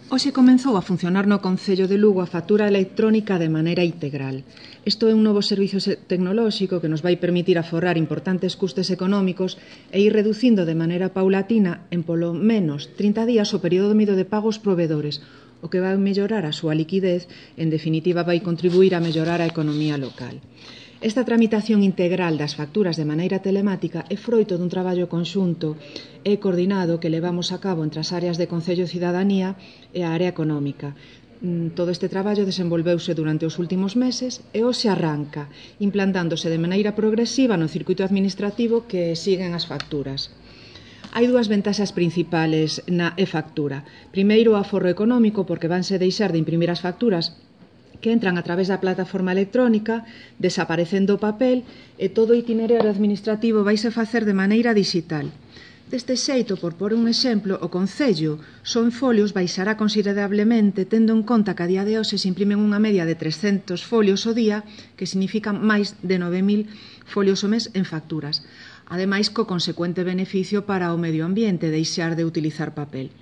Hoxe comezou a funcionar no Concello de Lugo a factura electrónica de maneira integral. Isto é un novo servizo tecnolóxico que nos vai permitir aforrar importantes custes económicos e ir reducindo de maneira paulatina en polo menos 30 días o período medio de pago aos provedores, o que vai mellorar a súa liquidez e, en definitiva, vai contribuir a mellorar a economía local. Esta tramitación integral das facturas de maneira telemática é froito dun traballo conxunto e coordinado que levamos a cabo entre as áreas de Concello e Cidadanía e a área económica. Todo este traballo desenvolveuse durante os últimos meses e hoxe arranca, implantándose de maneira progresiva no circuito administrativo que siguen as facturas. Hai dúas ventaxas principales na e-factura. Primeiro, o aforro económico, porque vanse deixar de imprimir as facturas que entran a través da plataforma electrónica, desaparecendo o papel e todo o itinerario administrativo vaise facer de maneira digital. Deste xeito, por pôr un exemplo, o Concello só en folios baixará considerablemente, tendo en conta que a día de hoxe se imprimen unha media de 300 folios ao día, que significan máis de 9.000 folios ao mes en facturas. Ademais, co consecuente beneficio para o medio ambiente, deixar de utilizar papel.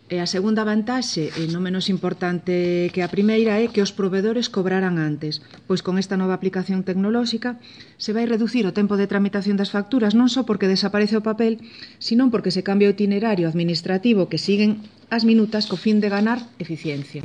E a segunda vantaxe, e non menos importante que a primeira, é que os provedores cobrarán antes, pois con esta nova aplicación tecnolóxica se vai reducir o tempo de tramitación das facturas non só porque desaparece o papel, sino porque se cambia o itinerario administrativo que siguen as minutas co fin de ganar eficiencia.